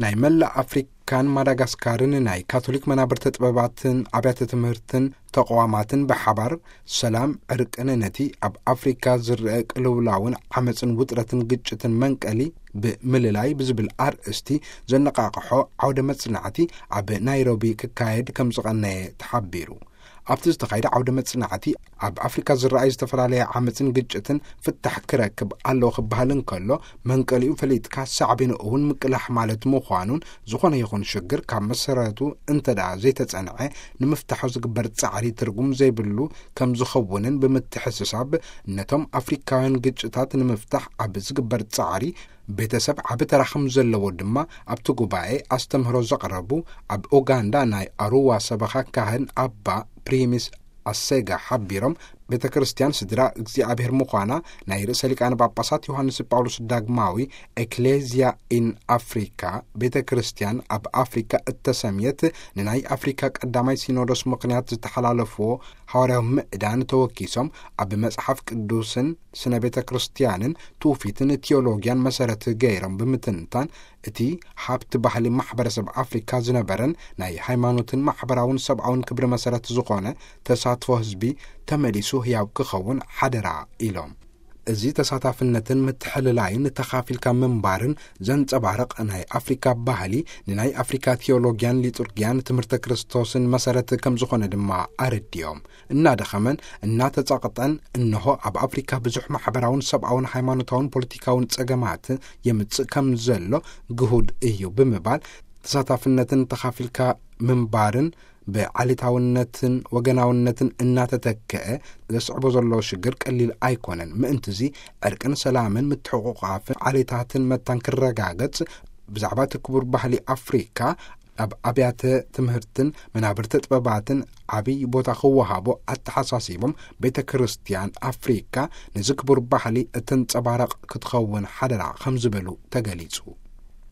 ናይ መላእ ኣፍሪካን ማዳጋስካርን ናይ ካቶሊክ መናብርተ ጥበባትን ኣብያተ ትምህርትን ተቋማትን ብሓባር ሰላም ዕርቅን ነቲ ኣብ ኣፍሪካ ዝረአ ቅልውላውን ዓመፅን ውጥረትን ግጭትን መንቀሊ ብምልላይ ብዝብል ኣርእስቲ ዘነቃቅሖ ዓውደ መጽናዕቲ ኣብ ናይሮቢ ክካየድ ከም ዝቐነየ ተሓቢሩ። ኣብቲ ዝተኻየደ ዓውደ መጽናዕቲ ኣብ ኣፍሪካ ዝረኣዩ ዝተፈላለየ ዓመፅን ግጭትን ፍታሕ ክረክብ ኣለዎ ክበሃል እንከሎ፣ መንቀሊኡ ፈሊጥካ ሳዕቤኑ እውን ምቅላሕ ማለት ምዃኑን፣ ዝኾነ ይኹን ሽግር ካብ መሰረቱ እንተ ደኣ ዘይተጸንዐ ንምፍታሑ ዝግበር ጻዕሪ ትርጉም ዘይብሉ ከም ዝኸውንን ብምትሕስሳብ፣ ነቶም ኣፍሪካውያን ግጭታት ንምፍታሕ ኣብ ዝግበር ጻዕሪ ቤተሰብ ዓቢ ተራ ከም ዘለዎ ድማ ኣብቲ ጉባኤ ኣስተምህሮ ዘቕረቡ ኣብ ኡጋንዳ ናይ ኣሩዋ ሰበኻ ካህን ኣባ ፕሪሚስ ኣሴጋ ሓቢሮም፣ ቤተ ክርስቲያን ስድራ እግዚኣብሔር ምዃና ናይ ርእሰ ሊቃነ ጳጳሳት ዮሃንስ ጳውሎስ ዳግማዊ ኤክሌዝያ ኢን ኣፍሪካ፣ ቤተ ክርስቲያን ኣብ ኣፍሪካ እተሰምየት፣ ንናይ ኣፍሪካ ቀዳማይ ሲኖዶስ ምኽንያት ዝተሓላለፍዎ ሃዋርያዊ ምዕዳን ተወኪሶም፣ ኣብ መጽሓፍ ቅዱስን ስነ ቤተ ክርስቲያንን ትውፊትን ቲዮሎጊያን መሰረት ገይሮም ብምትንታን፣ እቲ ሃብቲ ባህሊ ማሕበረሰብ ኣፍሪካ ዝነበረን ናይ ሃይማኖትን ማሕበራውን ሰብኣውን ክብሪ መሰረት ዝኾነ ተሳትፎ ህዝቢ ተመሊሱ ህያው ክኸውን ሓደራ ኢሎም። እዚ ተሳታፍነትን ምትሕልላይን ተኻፊልካ ምንባርን ዘንጸባርቕ ናይ ኣፍሪካ ባህሊ፣ ንናይ ኣፍሪካ ቲዮሎጊያን ሊጡርጊያን ትምህርተ ክርስቶስን መሰረት ከም ዝኾነ ድማ ኣረዲኦም። እናደኸመን እናተጸቕጠን፣ እንሆ ኣብ ኣፍሪካ ብዙሕ ማሕበራውን ሰብኣውን ሃይማኖታውን ፖለቲካውን ጸገማት የምጽእ ከም ዘሎ ግሁድ እዩ ብምባል፣ ተሳታፍነትን ተኻፊልካ ምንባርን ብዓሌታውነትን ወገናውነትን እናተተክአ ዘስዕቦ ዘሎ ሽግር ቀሊል ኣይኮነን። ምእንትዚ ዕርቅን ሰላምን ምትሕቑቓፍን ዓሌታትን መታን ክረጋገጽ፣ ብዛዕባ እቲ ክቡር ባህሊ ኣፍሪካ ኣብ ኣብያተ ትምህርትን መናብርቲ ጥበባትን ዓብይ ቦታ ክወሃቦ ኣተሓሳሲቦም፣ ቤተ ክርስቲያን ኣፍሪካ ነዚ ክቡር ባህሊ እተንጸባረቕ ክትኸውን ሓደራ ከም ዝበሉ ተገሊጹ።